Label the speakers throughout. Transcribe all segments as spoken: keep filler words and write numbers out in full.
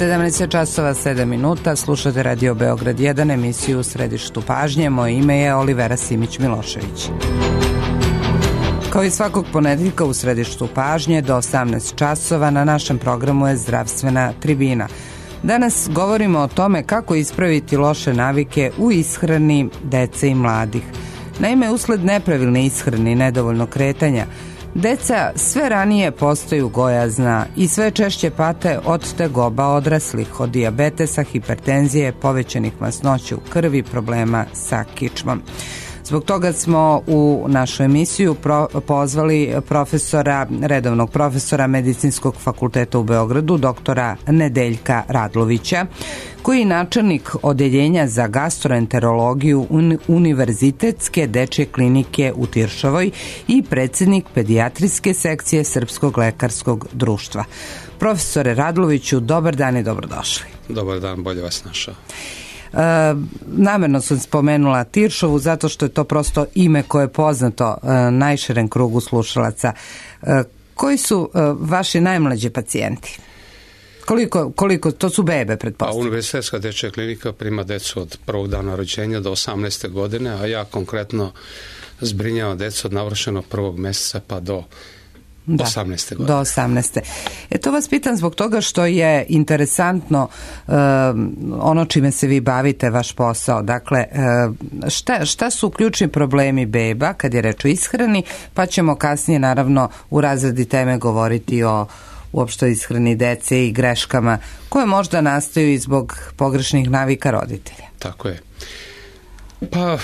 Speaker 1: sedamnaest časova sedam minuta, slušate Radio Beograd jedan, emisiju U središtu pažnje. Moje ime je Olivera Simić-Milošević. Kao i svakog ponedeljka u središtu pažnje do osamnaest časova na našem programu je Zdravstvena tribina. Danas govorimo o tome kako ispraviti loše navike u ishrani dece i mladih. Naime, usled nepravilne ishrane i nedovoljno kretanja, deca sve ranije postaju gojazna i sve češće pate od tegoba odraslih, od dijabetesa, hipertenzije, povećanih masnoća u krvi, problema sa kičmom. Zbog toga smo u našu emisiju pro, pozvali profesora, redovnog profesora Medicinskog fakulteta u Beogradu, doktora Nedeljka Radlovića, koji je načelnik odeljenja za gastroenterologiju Univerzitetske dečje klinike u Tiršovoj i predsjednik pedijatrijske sekcije Srpskog lekarskog društva. Profesore Radloviću, dobar dan i dobrodošli.
Speaker 2: Dobar dan, bolje vas našao.
Speaker 1: E, namjerno sam spomenula Tiršovu zato što je to prosto ime koje je poznato e, najširem krugu slušalaca. E, koji su e, vaši najmlađi pacijenti? Koliko, koliko, to su bebe, pretpostavljam?
Speaker 2: Pa, Univerzitetska dečja klinika prima decu od prvog dana rođenja do osamnaeste godine, a ja konkretno zbrinjavam decu od navršenog prvog mjeseca pa do Da, osamnaeste godine.
Speaker 1: Do osamnaeste. E to vas pitam zbog toga što je interesantno uh, ono čime se vi bavite, vaš posao. Dakle, uh, šta, šta su ključni problemi beba kad je reč o ishrani, pa ćemo kasnije naravno u razredi teme govoriti o uopšte ishrani dece i greškama koje možda nastaju i zbog pogrešnih navika roditelja.
Speaker 2: Tako je. Pa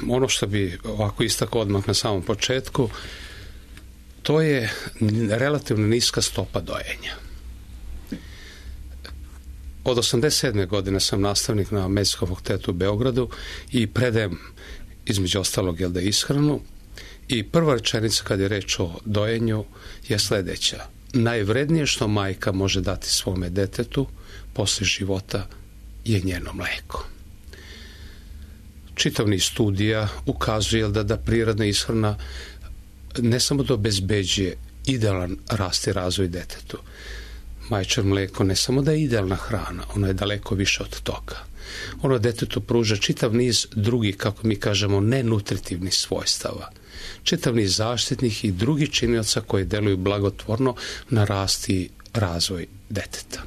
Speaker 2: ono što bi ovako istakao odmah na samom početku, to je relativno niska stopa dojenja. Od osamdeset sedme godine sam nastavnik na Medicinskom fakultetu u Beogradu i predajem između ostalog jel da ishranu, i prva rečenica kad je reč o dojenju je sljedeća: najvrednije što majka može dati svome detetu posle života je njeno mleko. Čitav niz studija ukazuje da da prirodna ishrana ne samo da obezbeđuje idealan rast i razvoj detetu. Majčino mleko ne samo da je idealna hrana, ono je daleko više od toga. Ono detetu pruža čitav niz drugih, kako mi kažemo, nenutritivnih svojstava. Čitav niz zaštitnih i drugih činioca koji deluju blagotvorno na rast i razvoj deteta.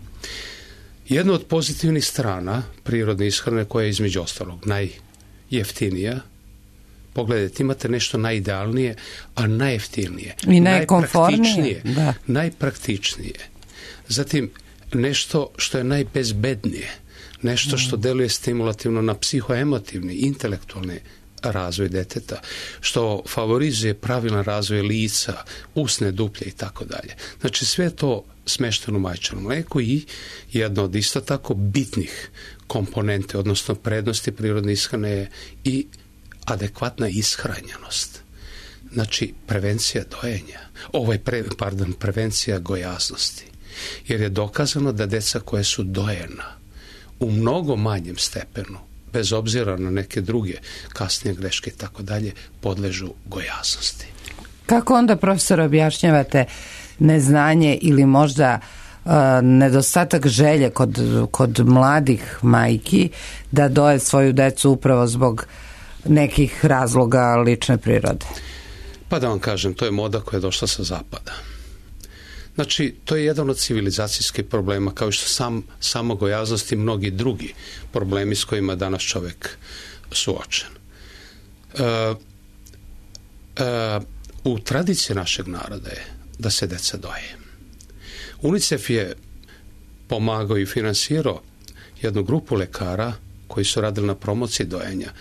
Speaker 2: Jedna od pozitivnih strana prirodne ishrane, koja je između ostalog najjeftinija, pogledajte, imate nešto najidealnije, a najjeftinije,
Speaker 1: i najkomfornije,
Speaker 2: da. najpraktičnije. Zatim, nešto što je najbezbednije, nešto što deluje stimulativno na psihoemotivni, intelektualni razvoj deteta, što favorizuje pravilan razvoj lica, usne duplje i tako dalje. Znači, sve to smešteno u majčinom mleku i jedno od isto tako bitnih komponente, odnosno prednosti prirodne ishrane je i adekvatna ishranjenost. Znači, prevencija dojenja. Ovo je, pre, pardon, prevencija gojaznosti. Jer je dokazano da deca koje su dojena u mnogo manjem stepenu, bez obzira na neke druge kasnije greške i tako dalje, podležu gojaznosti.
Speaker 1: Kako onda, profesor, objašnjavate neznanje ili možda uh, nedostatak želje kod, kod mladih majki da doje svoju decu upravo zbog nekih razloga lične prirode?
Speaker 2: Pa da vam kažem, to je moda koja je došla sa zapada. Znači, to je jedan od civilizacijskih problema, kao što sam, samo gojaznost i mnogi drugi problemi s kojima danas čovjek suočen. E, e, u tradiciji našeg naroda je da se deca doje. UNICEF je pomagao i finansirao jednu grupu lekara koji su radili na promociji dojenja.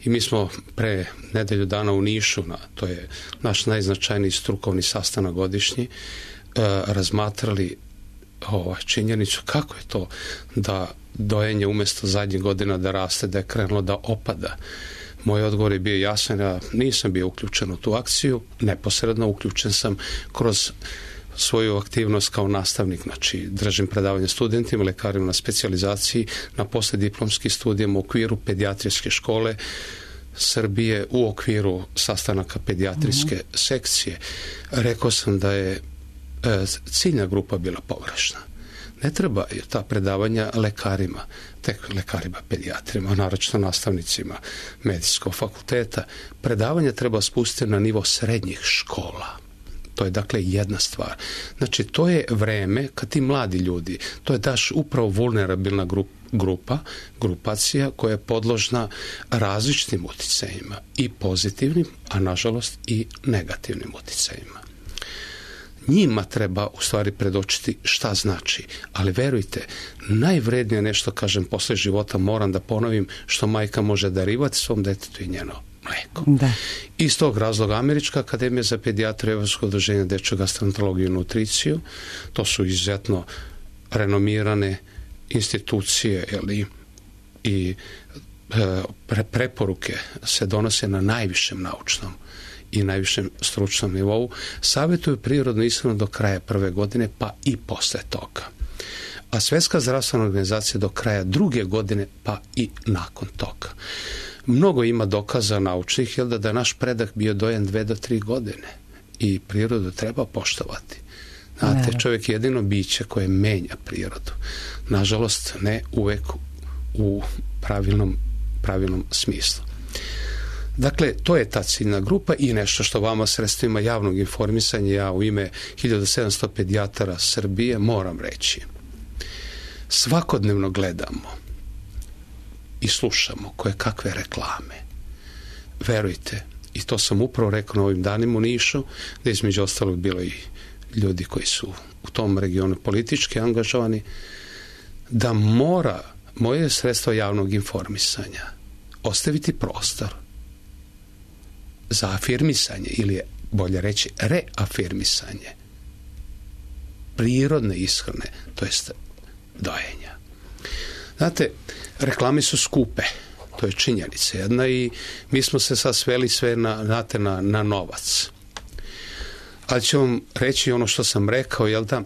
Speaker 2: I mi smo pre nedelju dana u Nišu, na, to je naš najznačajniji strukovni sastanak godišnji, e, razmatrali ovaj, činjenicu kako je to da dojenje umjesto zadnjih godina da raste, da je krenulo da opada. Moj odgovor je bio jasan, ja nisam bio uključen u tu akciju, neposredno uključen sam kroz svoju aktivnost kao nastavnik, znači držim predavanje studentima, lekarima na specijalizaciji, na poslijediplomskim studijama u okviru pedijatrijske škole Srbije, u okviru sastanaka pedijatrijske mm-hmm. sekcije. Rekao sam da je e, ciljna grupa bila pogrešna. ne treba ta predavanja lekarima, tek lekarima, pedijatrima, naročito nastavnicima medicinskog fakulteta. Predavanja treba spustiti na nivo srednjih škola. To je dakle jedna stvar. Znači, to je vreme kad ti mladi ljudi, to je daš upravo vulnerabilna grupa, grupa, grupacija koja je podložna različitim uticajima, i pozitivnim, a nažalost i negativnim uticajima. Njima treba u stvari predočiti šta znači, ali verujte, najvrednije nešto, kažem, posle života moram da ponovim, što majka može darivati svom detetu i njeno mleko.
Speaker 1: Da.
Speaker 2: Iz tog razloga Američka akademija za pedijatriju, Evropsko udruženje dečju gastroenterologiju i nutriciju, to su izuzetno renomirane institucije, jeli, i e, preporuke se donose na najvišem naučnom i najvišem stručnom nivou, savjetuju prirodnu ishranu do kraja prve godine, pa i posle toga. A Svjetska zdravstvena organizacija do kraja druge godine, pa i nakon toga. Mnogo ima dokaza naučnih, jel da, da je naš predak bio dojen dve do tri godine i prirodu treba poštovati. Znate, čovjek je jedino biće koje menja prirodu. Nažalost, ne uvek u pravilnom, pravilnom smislu. Dakle, to je ta ciljna grupa i nešto što vama sredstvima javnog informisanja, ja u ime hiljadu sedamsto pedijatara Srbije moram reći. Svakodnevno gledamo i slušamo koje kakve reklame. Verujte, i to sam upravo rekao na ovim danima u Nišu, da između ostalog bilo i ljudi koji su u tom regionu politički angažovani, da mora moje sredstvo javnog informisanja ostaviti prostor za afirmisanje, ili je bolje reći reafirmisanje prirodne ishrane, to jest dojenja. Znate, reklame su skupe, to je činjenica jedna, i mi smo se sad sveli sve na, znate, na, na novac. Ali ću vam reći ono što sam rekao, jel da?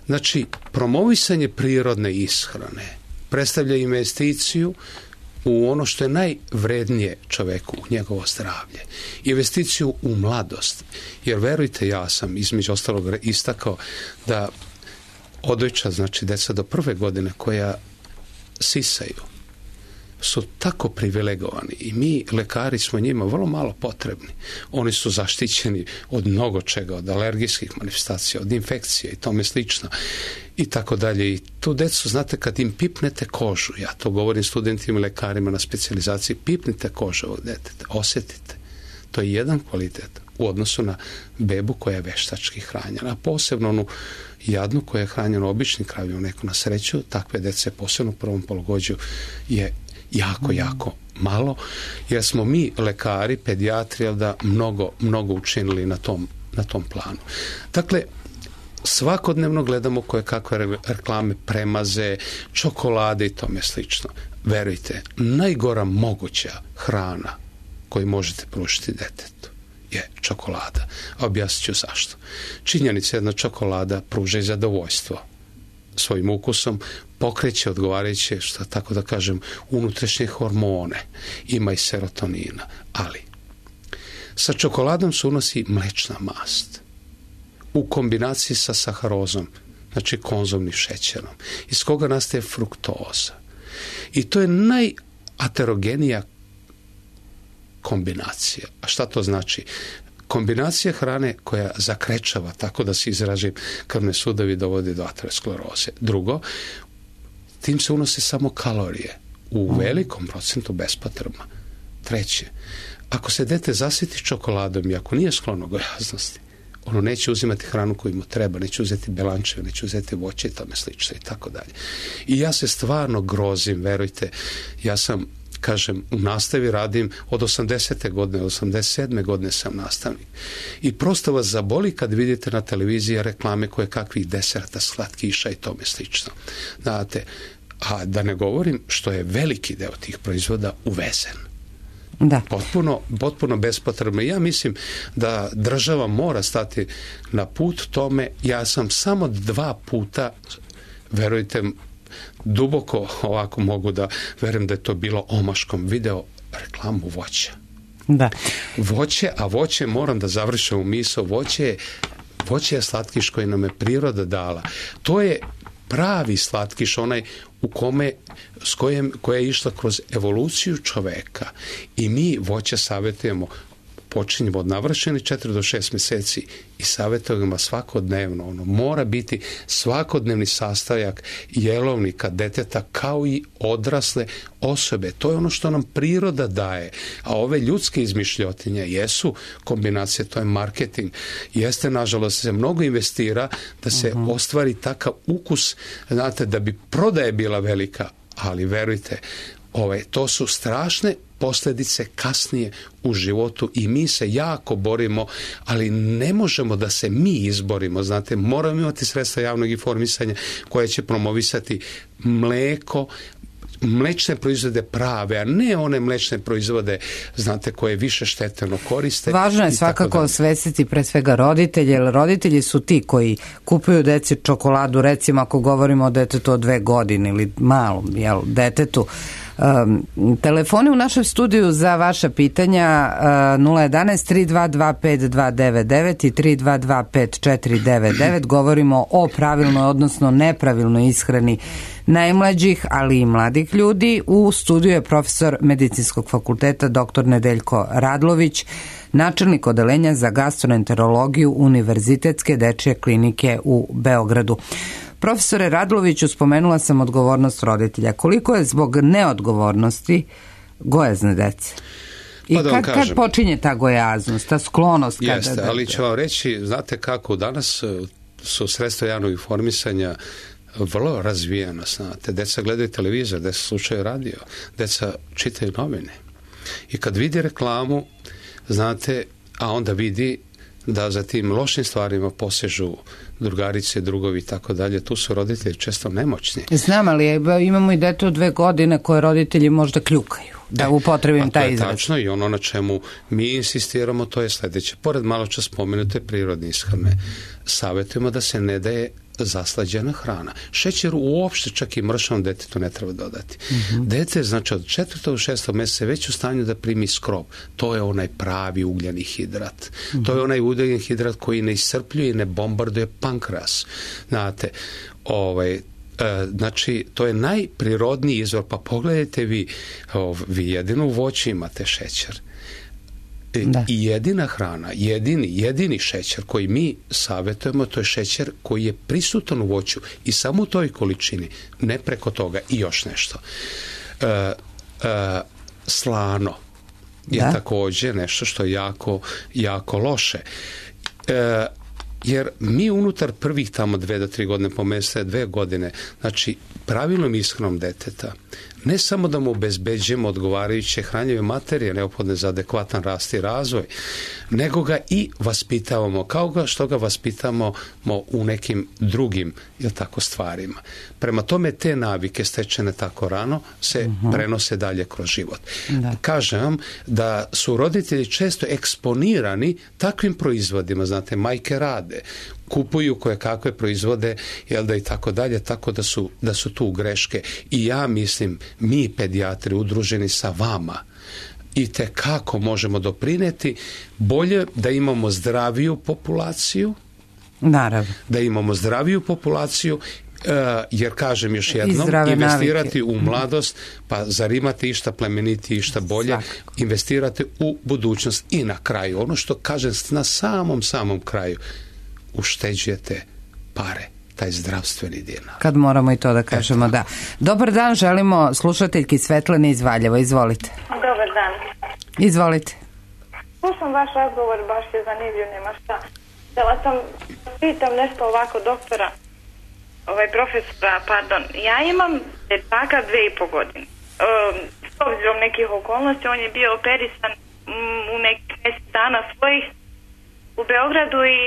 Speaker 2: Znači, promovisanje prirodne ishrane predstavlja investiciju u ono što je najvrednije čoveku, u njegovo zdravlje. Investiciju u mladost. Jer verujte, ja sam između ostalog istakao da odojča, znači deca do prve godine koja sisaju, su tako privilegovani i mi, lekari, smo njima vrlo malo potrebni. Oni su zaštićeni od mnogo čega, od alergijskih manifestacija, od infekcije i tome slično i tako dalje. I tu decu, znate, kad im pipnete kožu, ja to govorim studentima i lekarima na specijalizaciji, pipnite kožu ovog deteta, osjetite. To je jedan kvalitet u odnosu na bebu koja je veštački hranjena, a posebno onu jadnu koja je hranjena običnim kravljom, neko na sreću, takve dece posebno u prvom pologođu je jako, jako malo, jer smo mi, lekari, pedijatri, da mnogo, mnogo učinili na tom, na tom planu. Dakle, svakodnevno gledamo koje kakve reklame, premaze, čokolade i tome slično. Verujte, najgora moguća hrana koju možete pružiti detetu je čokolada. A objasnit ću zašto. Činjenica, jedna čokolada pruža i zadovoljstvo svojim ukusom, pokreće odgovarajuće, što tako da kažem, unutrašnje hormone, ima i serotonina, ali sa čokoladom se unosi mlečna mast u kombinaciji sa saharozom, znači konzumnim šećerom, iz koga nastaje fruktoza. I to je najaterogenija kombinacija. A šta to znači? Kombinacija hrane koja zakrečava, tako da se izražim, krvne sudovi, dovodi do ateroskleroze. Drugo, tim se unose samo kalorije, u velikom procentu bespotrebno. Treće, ako se dete zasiti čokoladom i ako nije sklono gojaznosti, ono neće uzimati hranu koju mu treba, neće uzeti belančeve, neće uzeti voće i tome slično i tako dalje. I ja se stvarno grozim, verujte, ja sam, kažem, u nastavi radim od osamdesete godine, od osamdeset sedme godine sam nastavnik. I prosto vas zaboli kad vidite na televiziji reklame koje kakvih deserta, slatkiša i tome slično. Znate, a da ne govorim što je veliki deo tih proizvoda uvezen.
Speaker 1: Da.
Speaker 2: Potpuno, potpuno bespotrebno. Ja mislim da država mora stati na put tome. Ja sam samo dva puta, verujte, duboko ovako mogu da verujem da je to bilo omaškom, video reklamu voća.
Speaker 1: Da.
Speaker 2: Voće, a voće, moram da završim u misao, voće je, voće je slatkiš koji nam je priroda dala. To je pravi slatkiš, onaj u kome, s kojem, koja je išla kroz evoluciju čoveka. I mi voće savjetujemo, počinjemo od navršenih četiri do šest mjeseci i savjetujemo svakodnevno. Ono mora biti svakodnevni sastojak jelovnika deteta kao i odrasle osobe. To je ono što nam priroda daje. A ove ljudske izmišljotinje jesu kombinacije, to je marketing. Jeste, nažalost, se mnogo investira da se uh-huh. ostvari takav ukus, znate, da bi prodaja bila velika, ali verujte, ovaj, to su strašne posljedice kasnije u životu i mi se jako borimo, ali ne možemo da se mi izborimo, znate, moramo imati sredstva javnog informisanja koje će promovisati mleko, mlečne proizvode prave, a ne one mlečne proizvode, znate, koje više šteteno koriste.
Speaker 1: Važno je svakako osvestiti pre svega roditelje, jer roditelji su ti koji kupuju deci čokoladu, recimo ako govorimo o detetu od dve godine ili malom, jel, detetu. Um, telefoni u našem studiju za vaša pitanja uh, nula jedan tri dva dva pet dva devet devet i tri dva dva pet četiri devet devet. Govorimo o pravilnoj, odnosno nepravilnoj ishrani najmlađih, ali i mladih ljudi. U studiju je profesor Medicinskog fakulteta doktor Nedeljko Radlović, načelnik odeljenja za gastroenterologiju Univerzitetske dečje klinike u Beogradu. Profesore Radloviću, spomenula sam odgovornost roditelja. Koliko je zbog neodgovornosti gojazne dece? I
Speaker 2: pa da
Speaker 1: kad, kad počinje ta gojaznost, ta sklonost?
Speaker 2: Jeste,
Speaker 1: kada,
Speaker 2: ali ću vam reći, znate kako, danas su sredstva javnog informisanja vrlo razvijena, znate. Deca gledaju televizor, deca slušaju radio, deca čitaju novine. I kad vidi reklamu, znate, a onda vidi da za tim lošim stvarima posežu drugarice, drugovi i tako dalje, tu su roditelji često nemoćni.
Speaker 1: Znam, ali imamo i dete od dve godine koje roditelji možda kljukaju, da e, upotrebim taj izraz.
Speaker 2: To je tačno i ono na čemu mi insistiramo, to je sljedeće. Pored malo čas spomenute prirodne ishrane, savjetujemo da se ne daje zaslađena hrana. Šećer uopšte čak i mršavom detetu ne treba dodati. Mm-hmm. Dete, znači od četvrtog do šestog mjeseca već u stanju da primi skrob. To je onaj pravi ugljeni hidrat. Mm-hmm. To je onaj ugljeni hidrat koji ne iscrpljuje i ne bombarduje pankreas. Znate, ovaj, e, znači, to je najprirodniji izvor. Pa pogledajte vi, ov, vi jedino u voću imate šećer. Da. I jedina hrana, jedini, jedini šećer koji mi savjetujemo, to je šećer koji je prisutan u voću i samo u toj količini, ne preko toga. I još nešto. E, e, slano je da. također nešto što je jako, jako loše. E, jer mi unutar prvih tamo dve do tri godine, po mjesecu dve godine, znači pravilnom ishranom deteta, ne samo da mu obezbeđujemo odgovarajuće hranjive materije neophodne za adekvatan rast i razvoj, nego ga i vaspitavamo, kao ga što ga vaspitamo u nekim drugim, jel tako, stvarima. Prema tome, te navike stečene tako rano se uh-huh. prenose dalje kroz život. Da. Kažem vam da su roditelji često eksponirani takvim proizvodima, znate, majke rade, kupuju koje kakve proizvode, jel da, i tako dalje, tako da su, da su tu greške. I ja mislim, mi pedijatri udruženi sa vama i te kako možemo doprinijeti bolje da imamo zdraviju populaciju,
Speaker 1: naravno,
Speaker 2: da imamo zdraviju populaciju, jer kažem još jednom, investirati navike u mladost, pa zar imate išta plemeniti, išta bolje, svakako. Investirate u budućnost. I na kraju, ono što kažem na samom samom kraju, ušteđujete pare, taj zdravstveni dinar.
Speaker 1: Kad moramo i to da kažemo, Eto. da. Dobar dan, želimo slušateljki Svetlane iz Valjeva, izvolite.
Speaker 3: Dobar dan.
Speaker 1: Izvolite.
Speaker 3: Slušam vaš razgovor, baš je zanimljiv, nema šta. Htjela sam, pitam nešto ovako doktora, ovaj profesora, pardon. Ja imam dečaka dve i po godine. Um, s obzirom nekih okolnosti, on je bio operisan um, u nekih mjesec dana svojih u Beogradu i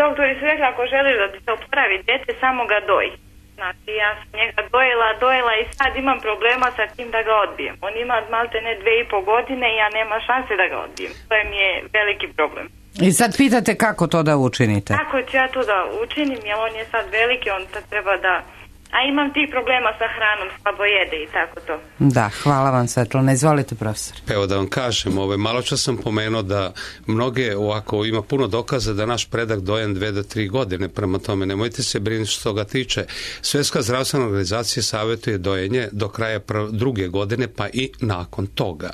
Speaker 3: doktori su rekli, ako želi da se oporavi dete, samo ga doji. Znači, ja sam njega dojela, dojela i sad imam problema sa tim da ga odbijem. On ima malte ne dve i po godine i ja nema šanse da ga odbijem. To je mi je veliki problem.
Speaker 1: I sad pitate kako to da učinite?
Speaker 3: Kako ću ja to da učinim, jer on je sad veliki, on sad treba da a imam tih problema sa hranom, slabo jede i tako to.
Speaker 1: Da, hvala vam Svetlana. Izvolite, profesor.
Speaker 2: Evo da vam kažem, ovaj, malo čas sam pomenuo da mnoge ovako ima puno dokaza da naš predak dojen dve do tri godine, prema tome nemojte se brinuti što ga tiče. Svjetska zdravstvena organizacija savjetuje dojenje do kraja druge godine pa i nakon toga.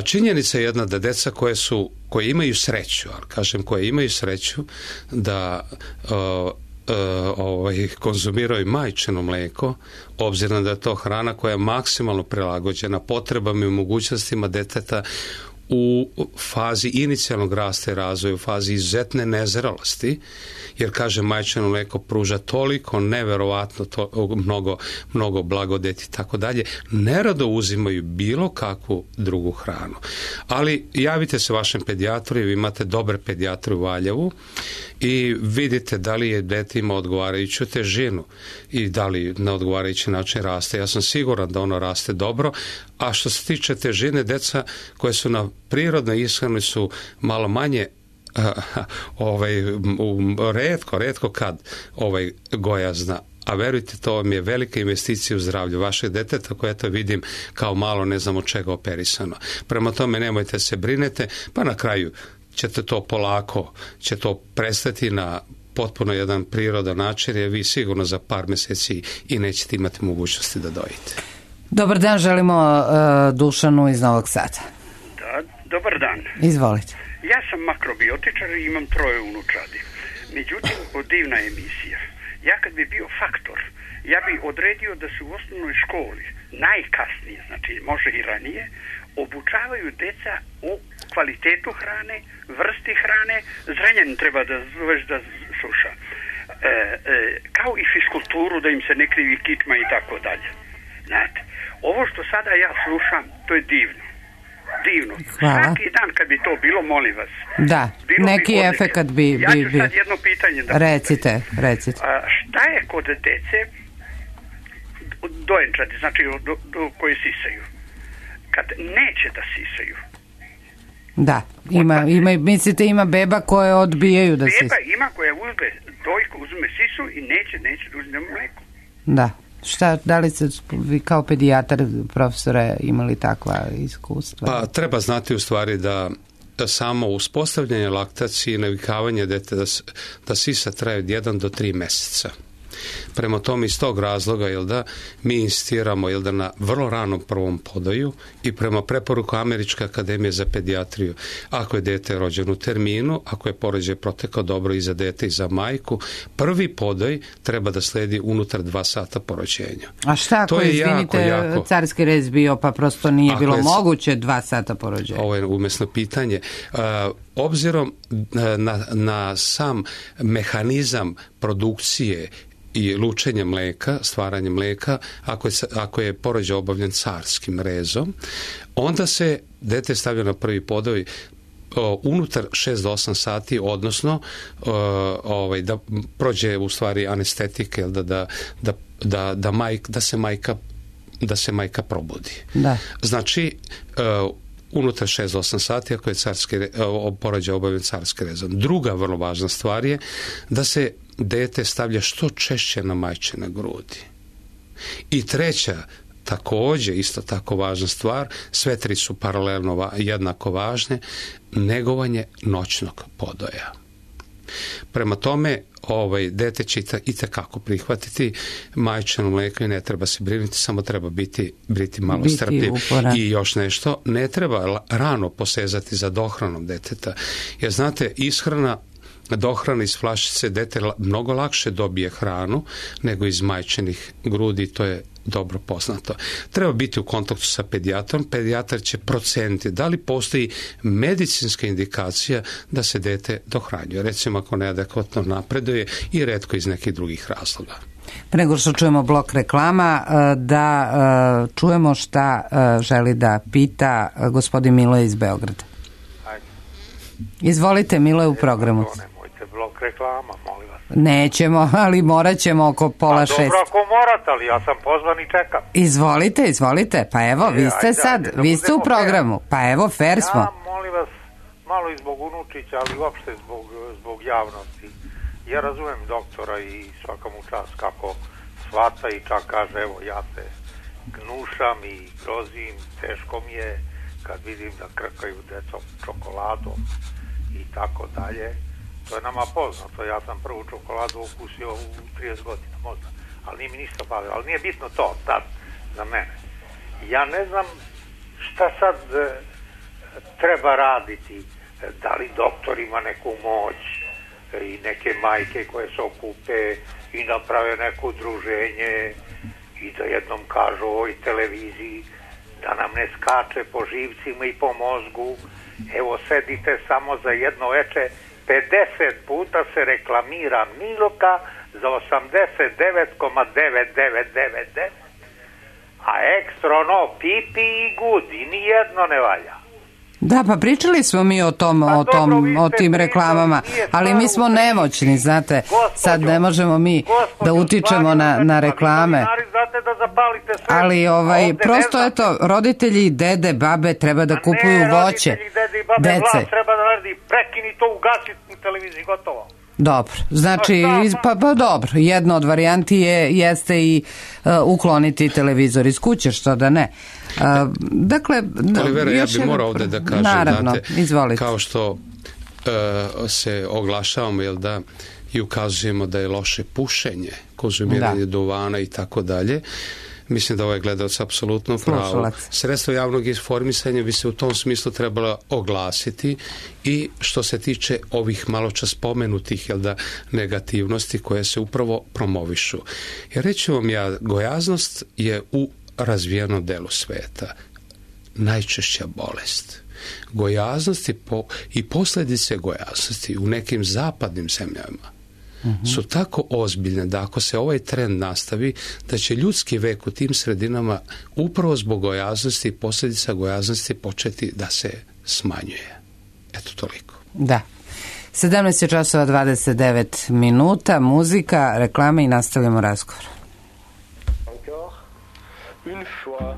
Speaker 2: Činjenica je jedna da deca koje su, koje imaju sreću, ali kažem koje imaju sreću da uh, Uh, ovaj, konzumiraju majčino mlijeko, obzirom da je to hrana koja je maksimalno prilagođena potrebama i mogućnostima deteta u fazi inicijalnog rasta i razvoja, u fazi izuzetne nezrelosti, jer kaže majčino mlijeko pruža toliko neverovatno to, mnogo, mnogo blagodeti i tako dalje, nerado uzimaju bilo kakvu drugu hranu. Ali javite se vašem pedijatru, vi imate dobre pedijatre u Valjevu i vidite da li je dete ima odgovarajuću težinu i da li na odgovarajući način raste. Ja sam siguran da ono raste dobro, a što se tiče težine, deca koje su na prirodnoj ishrani su malo manje uh, ovaj, um, redko, redko kad ovaj, gojazna. A verujte, to vam je velika investicija u zdravlju vašeg deteta koje to vidim kao malo ne znam od čega operisano. Prema tome nemojte se brinete, pa na kraju ćete to polako, će to prestati na potpuno jedan prirodan način, jer vi sigurno za par mjeseci i nećete imati mogućnosti da dojite.
Speaker 1: Dobar dan, želimo uh, Dušanu iz Novog Sada.
Speaker 4: Da, dobar dan.
Speaker 1: Izvolite.
Speaker 4: Ja sam makrobiotičar i imam troje unučadi. Međutim, divna emisija. Ja kad bi bio faktor, ja bi odredio da se u osnovnoj školi najkasnije, znači može i ranije, obučavaju deca o kvalitetu hrane, vrsti hrane, zrenjanin treba da zoveš da sluša. E, e, kao i fiskulturu, da im se ne krivi kičma i tako dalje. Znate, ovo što sada ja slušam, to je divno. Divno.
Speaker 1: Hvala.
Speaker 4: Svaki dan kad bi to bilo, molim vas.
Speaker 1: Da,
Speaker 4: bilo
Speaker 1: neki
Speaker 4: bi
Speaker 1: efekat bi...
Speaker 4: Ja ću
Speaker 1: bi,
Speaker 4: sad jedno pitanje da...
Speaker 1: Recite, recite.
Speaker 4: A, šta je kod dece dojenčadi, znači do, do koje sisaju? Kad neće da sisaju.
Speaker 1: Da, ima, ima, mislite ima beba koje odbijaju da sisaju.
Speaker 4: Beba ima koja uzme dojku, uzme sisu i neće, neće da uzme mlijeko.
Speaker 1: Da. Šta, da li ste vi kao pedijatar, profesore, imali takva iskustva?
Speaker 2: Pa treba znati u stvari da, da samo uspostavljanje laktacije i navikavanje dete da, da sisa traje od jedan do tri mjeseca. Prema tome iz tog razloga jel da, mi insistiramo jel da, na vrlo ranom prvom podoju i prema preporuku Američke akademije za pedijatriju, ako je dete rođeno u terminu, ako je porođaj protekao dobro i za dete i za majku, prvi podoj treba da sledi unutar dva sata po rođenju.
Speaker 1: A šta ako je, izvinite, jako, jako, carski rez bio pa prosto nije bilo je, moguće dva sata po rođenju?
Speaker 2: Ovo je umesno pitanje. Uh, obzirom na, na sam mehanizam produkcije i lučenje mlijeka, stvaranje mlijeka, ako je, ako je porođaj obavljen carskim rezom, onda se dete stavlja na prvi podoj o, unutar šest do osam sati, odnosno o, ovaj, da prođe u stvari anestetike, da, da, da, da, da, majk, da se majka da se majka probudi.
Speaker 1: Da.
Speaker 2: Znači, o, unutar šest do osam sati ako je carski, o, porođaj obavljen carski rezom. Druga vrlo važna stvar je da se dete stavlja što češće na majčine grudi. I treća, također isto tako važna stvar, sve tri su paralelno jednako važne, negovanje noćnog podoja. Prema tome, ovaj, dete će itekako prihvatiti majčino mlijeko i ne treba se brinuti, samo treba biti, biti malo biti strpljiv. Uporan. I još nešto, ne treba rano posezati za dohranom deteta. Jer znate, ishrana dohrana iz flašice dete mnogo lakše dobije hranu nego iz majčinih grudi, to je dobro poznato. Treba biti u kontaktu sa pedijatrom, pedijatar će proceniti da li postoji medicinska indikacija da se dete dohranjuje, recimo ako neadekvatno napreduje i retko iz nekih drugih razloga.
Speaker 1: Pre nego što čujemo blok reklama, da čujemo šta želi da pita gospodin Milo iz Beograda. Izvolite, Milo je u programu.
Speaker 5: Blok reklama, molim vas.
Speaker 1: Nećemo, ali morat ćemo oko pola šest.
Speaker 5: Dobro, ako morate, ali ja sam pozvan i čekam.
Speaker 1: Izvolite, izvolite. Pa evo, vi ste ajde, sad, ajde, da vi ste u programu. Fair. Pa evo, fair smo.
Speaker 5: Ja, molim vas, malo i zbog unučića, ali uopšte zbog, zbog javnosti. Ja razumem doktora i svaka mu čast kako shvata i čak kaže, evo ja se gnušam i grozim, teško mi je kad vidim da krkaju decom čokoladom i tako dalje. To je nama poznato, ja sam prvu čokoladu ukusio u trideset godina možda, ali nije mi ništa bavio, ali nije bitno to sad za mene. Ja ne znam šta sad e, treba raditi, da li doktor ima neku moć e, i neke majke koje se okupe i naprave neko udruženje i da jednom kažu o ovoj televiziji da nam ne skače po živcima i po mozgu. Evo sedite samo za jedno veče, pedeset puta se reklamira Miloka za osamdeset devet zarez devet devet devet devet, a ekstra ono pipi i gudi, nijedno ne valja.
Speaker 1: Da, pa pričali smo mi o tom,
Speaker 5: pa
Speaker 1: o, tom
Speaker 5: dobro,
Speaker 1: o tim reklamama, ali mi smo nemoćni, znate, gospođo, sad ne možemo mi gospođo, da utičemo na, na reklame.
Speaker 5: Znate da zapalite sve.
Speaker 1: Ali ovaj, prosto eto, roditelji, dede, babe treba da kupuju
Speaker 5: ne,
Speaker 1: voće.
Speaker 5: Roditelji, dede i babe,
Speaker 1: dece.
Speaker 5: Vlad treba da radi, prekini to, ugasi u televiziji, gotovo.
Speaker 1: Dobro, znači, pa, pa dobro, jedna od varijanti je, jeste i uh, ukloniti televizor iz kuće, što da ne. Uh, dakle,
Speaker 2: Olivera, ja bih morao ovde da kažem,
Speaker 1: naravno,
Speaker 2: znate,
Speaker 1: izvolite.
Speaker 2: Kao što uh, se oglašavamo, jel da, i ukazujemo da je loše pušenje, konzumiranje da. duvana i tako dalje, mislim da ovaj gledalac apsolutno pravo. Sredstvo javnog informisanja bi se u tom smislu trebalo oglasiti i što se tiče ovih maločas spomenutih, jel da, negativnosti koje se upravo promovišu. Jer reći vam ja, gojaznost je u razvijenom delu sveta najčešća bolest. Gojaznost i, po, i posljedice gojaznosti u nekim zapadnim zemljama Uh-huh. su tako ozbiljne da ako se ovaj trend nastavi, da će ljudski vek u tim sredinama upravo zbog gojaznosti i posljedica gojaznosti početi da se smanjuje. Eto toliko.
Speaker 1: Da. sedamnaest je časova dvadeset devet minuta, muzika, reklame i nastavljamo razgovor.
Speaker 6: Encore une fois.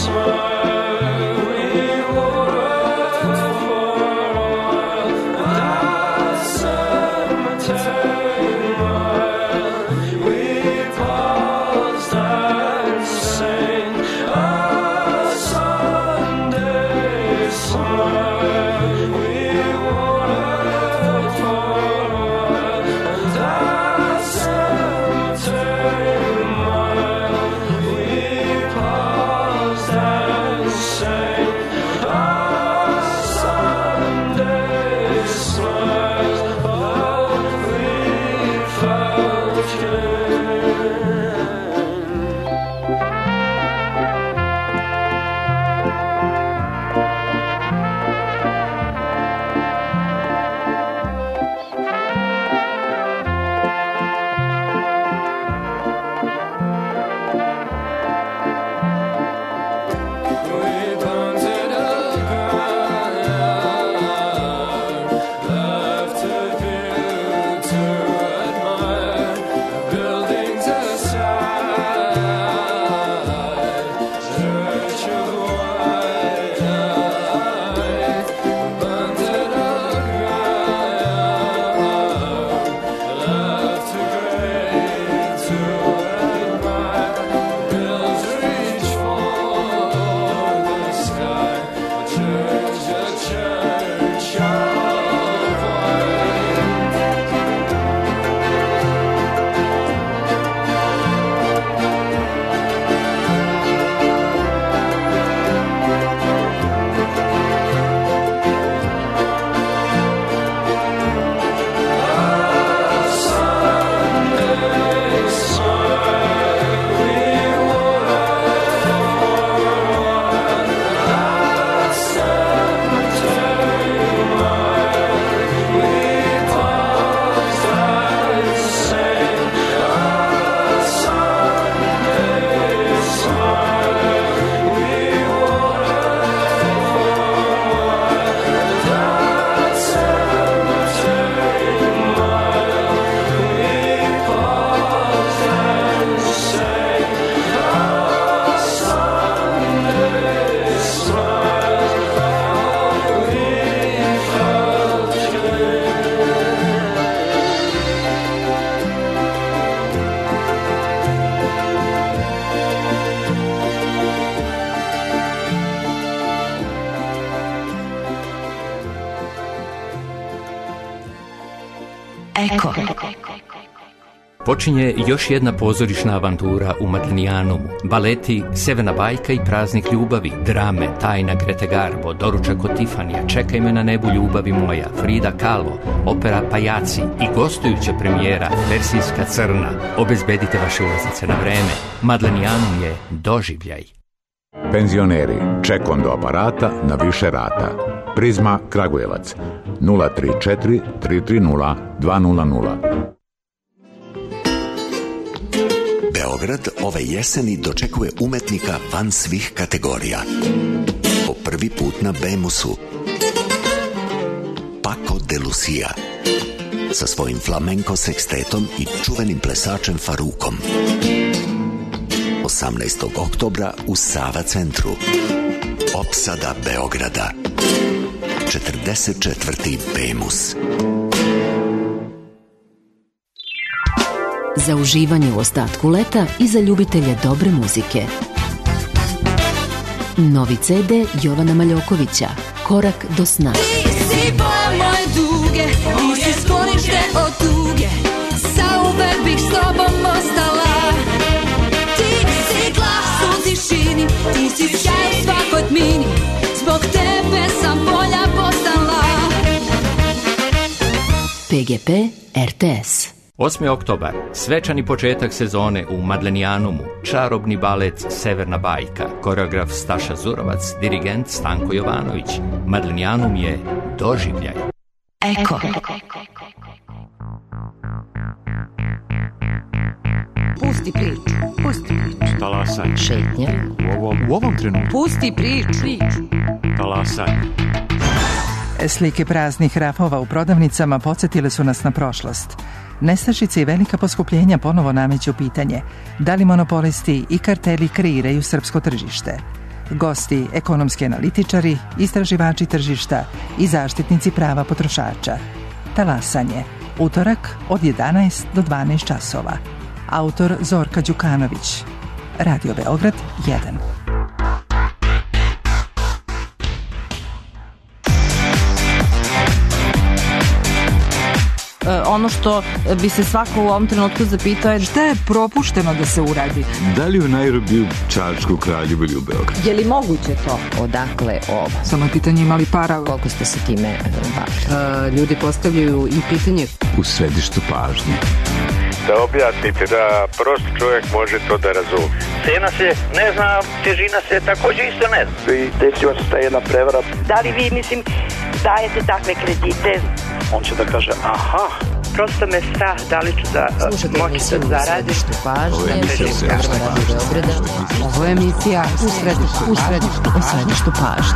Speaker 7: Smile, we were Eko. Počinje još jedna pozorišna avantura u Matlinijanumu. Baleti Severna bajka i Praznik ljubavi, drame Tajna Grete Garbo, Doručak od Tifanija, Čekaj me na nebu ljubavi moja, Frida Kahlo, opera Pajaci i gostujuća premijera Persijska crna. Obezbedite vaše ulaznice na vreme. Matlinijanum je doživljaj.
Speaker 8: Penzioneri, ček do aparata na više rata. Prizma Kragujevac nula tri četiri tri tri nula dva nula nula.
Speaker 9: Beograd ove jeseni dočekuje umetnika van svih kategorija. Po prvi put na Bemusu. Paco de Lucia sa svojim flamenko sekstetom i čuvenim plesačem Farukom. osamnaestog oktobra u Sava centru. Opsada Beograda. četrdeset četvrti Bemus.
Speaker 10: Za uživanje u ostatku leta i za ljubitelje dobre muzike. Novi ce de Jovana Maljokovića, Korak do sna.
Speaker 11: Ti si boja moje duge, ti si sklonište od tuge, zauvek bih s tobom ostala. Ti si glas u tišini, ti si sjaj u svakoj tmini, zbog tebe sam bolja postala.
Speaker 10: pe ge pe er te es.
Speaker 7: osmi oktobar, svečani početak sezone u Matlinijanumu, čarobni balet Severna bajka, koreograf Staša Zurovac, dirigent Stanko Jovanović. Matlinijanum je doživljaj.
Speaker 10: Eko.
Speaker 12: Pusti priču, pusti priču.
Speaker 13: Talasanje.
Speaker 10: Šetnje.
Speaker 13: U ovom, u ovom trenutku.
Speaker 12: Pusti priču.
Speaker 13: Talasanje.
Speaker 14: Slike praznih rafova u prodavnicama podsjetile su nas na prošlost. Nestašice i velika poskupljenja ponovo nameću pitanje da li monopolisti i karteli kreiraju srpsko tržište. Gosti, ekonomski analitičari, istraživači tržišta i zaštitnici prava potrošača. Talasanje. Utorak od jedanaest do dvanaest časova. Autor Zorka Đukanović. Radio Beograd jedan.
Speaker 12: Ono što bi se svako u ovom trenutku zapitao je šta je propušteno da se uradi.
Speaker 15: Da li u Nairobiju, Čačku, Kraljevu ili u Beogradu?
Speaker 12: Je li moguće to?
Speaker 16: Odakle ovo?
Speaker 12: Samo je pitanje imali para.
Speaker 16: Koliko ste se time bavili?
Speaker 12: Uh, ljudi postavljaju i pitanje.
Speaker 15: U središtu pažnje.
Speaker 5: Da objasnite, da prost čovjek može to da razumije.
Speaker 17: Cena se ne zna, težina se također isto ne zna.
Speaker 6: I desila se ta jedna prevara.
Speaker 18: Da li vi, mislim, dajete takve kredite?
Speaker 6: On će da kaže, aha.
Speaker 18: Prosto me strah, da li ću da moći da zaradim.
Speaker 10: Ovo je emisija
Speaker 1: Ovo je emisija u središtu
Speaker 10: u središtu, u središtu pažnje.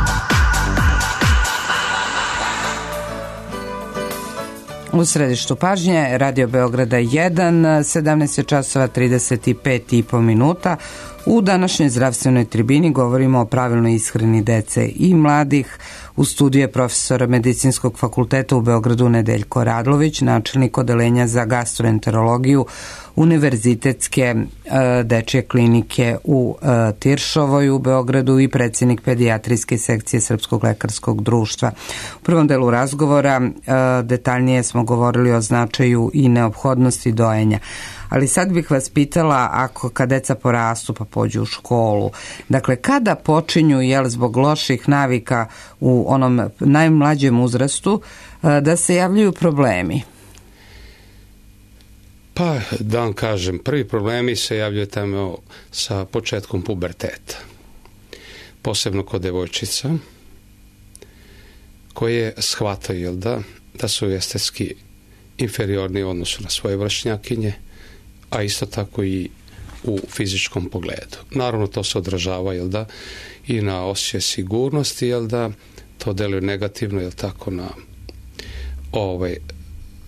Speaker 1: U središtu pažnje, Radio Beograda jedan, sedamnaest časova trideset pet i po minuta. U današnjoj zdravstvenoj tribini govorimo o pravilnoj ishrani dece i mladih. U studiju je profesor Medicinskog fakulteta u Beogradu Nedeljko Radlović, načelnik odeljenja za gastroenterologiju Univerzitetske e, dečje klinike u e, Tiršovoj u Beogradu i predsjednik pedijatrijske sekcije Srpskog lekarskog društva. U prvom delu razgovora e, detaljnije smo govorili o značaju i neophodnosti dojenja. Ali sad bih vas pitala, ako kad deca porastu pa pođu u školu, dakle kada počinju, jel, zbog loših navika u onom najmlađem uzrastu, da se javljaju problemi?
Speaker 2: Pa, da vam kažem, prvi problemi se javljaju tamo sa početkom puberteta. Posebno kod devojčica, koje shvataju, jel da, da su estetski inferiorni u odnosu na svoje vršnjakinje, a isto tako i u fizičkom pogledu. Naravno, to se odražava, jel da, i na osjećaj sigurnosti, jel da, to deluje negativno, jel tako, na ovaj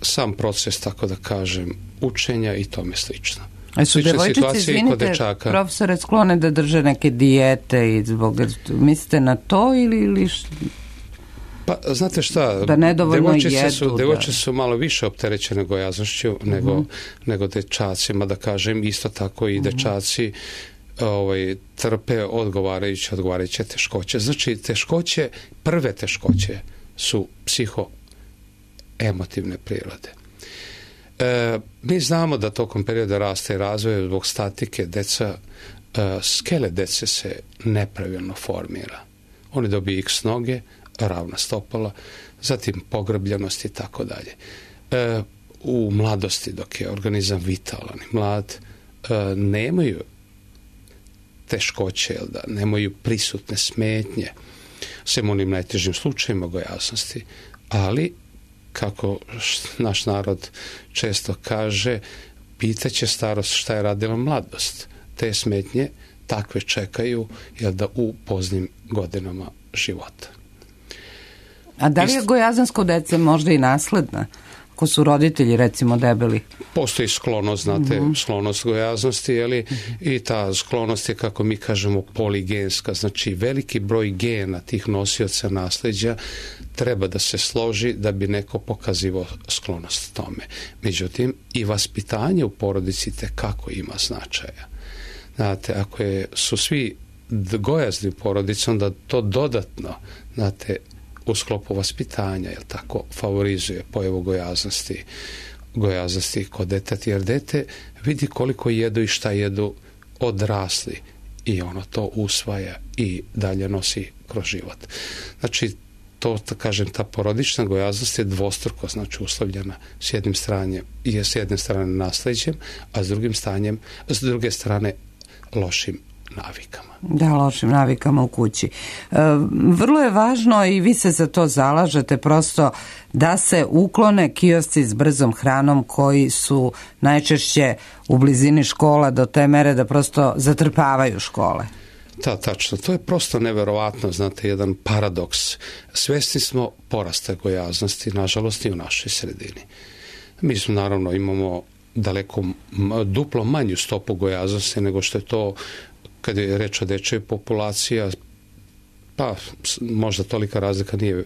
Speaker 2: sam proces, tako da kažem, učenja i tome slično.
Speaker 1: A su devojčice, izvinite, profesore, sklone da drže neke dijete i zbog, mislite na to ili, ili
Speaker 2: Pa, znate šta,
Speaker 1: da
Speaker 2: devojčice
Speaker 1: jedu,
Speaker 2: su,
Speaker 1: da.
Speaker 2: devojčice su malo više opterećene gojaznošću uh-huh. nego, nego dečacima, da kažem, isto tako i uh-huh. dečaci ovaj, trpe odgovarajuće, odgovarajuće teškoće. Znači, teškoće, prve teškoće su psihoemotivne prirode. E, mi znamo da tokom perioda rasta i razvoja zbog statike deca, e, skele dece se nepravilno formira. Oni dobiju x noge, ravna stopala, zatim pogrbljenost i tako dalje. E, u mladosti, dok je organizam vitalan i mlad, e, nemaju teškoće, da nemaju prisutne smetnje, sem onim najtežim slučajima gojaznosti, ali kako naš narod često kaže, pitaće starost šta je radila mladost. Te smetnje takve čekaju, jel da, u poznim godinama života.
Speaker 1: A da li je gojazansko dece možda i nasledna? Ako su roditelji, recimo, debeli?
Speaker 2: Postoji sklonost, znate, mm-hmm. sklonost gojaznosti, jeli? Mm-hmm. I ta sklonost je, kako mi kažemo, poligenska. Znači, veliki broj gena tih nosioca nasleđa treba da se složi da bi neko pokazivao sklonost tome. Međutim, i vaspitanje u porodici tekako ima značaja. Znate, ako je, su svi gojazni u porodici, onda to dodatno, znate, u sklopu vaspitanja, jel tako, favorizuje pojavu gojaznosti, gojaznosti kod deteta, jer dete vidi koliko jedu i šta jedu odrasli i ono to usvaja i dalje nosi kroz život. Znači, to, da kažem, ta porodična gojaznost je dvostruko, znači, uslovljena s jednim strane, je s jedne strane nasleđem, a s drugim stanjem, s druge strane lošim navikama.
Speaker 1: Da, lošim navikama u kući. E, vrlo je važno i vi se za to zalažete prosto da se uklone kiosci s brzom hranom koji su najčešće u blizini škola do te mere da prosto zatrpavaju škole.
Speaker 2: Da, tačno. To je prosto neverovatno, znate, jedan paradoks. Svesni smo porasta gojaznosti, nažalost, i u našoj sredini. Mi smo, naravno, imamo daleko duplo manju stopu gojaznosti nego što je to kad je reč o dečjoj populacija, pa možda tolika razlika nije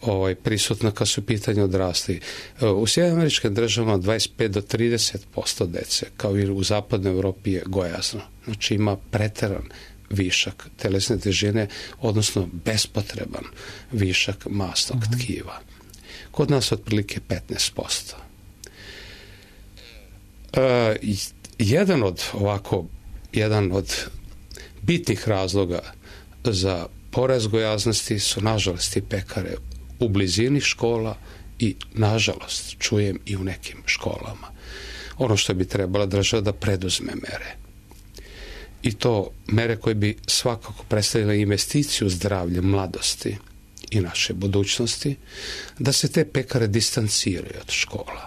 Speaker 2: ovaj, prisutna kad su pitanje odrasli. U Sjedinjenim Američkim Državama dvadeset pet do trideset posto dece, kao i u zapadnoj Evropi, je gojazno. Znači ima preteran višak telesne težine, odnosno bespotreban višak masnog mm-hmm. tkiva. Kod nas otprilike petnaest posto. E, jedan od ovako, jedan od bitnih razloga za porast gojaznosti su, nažalost, i pekare u blizini škola i, nažalost, čujem i u nekim školama. Ono što bi trebala država da preduzme mere. I to mere koje bi svakako predstavile investiciju zdravlje mladosti i naše budućnosti, da se te pekare distanciraju od škola,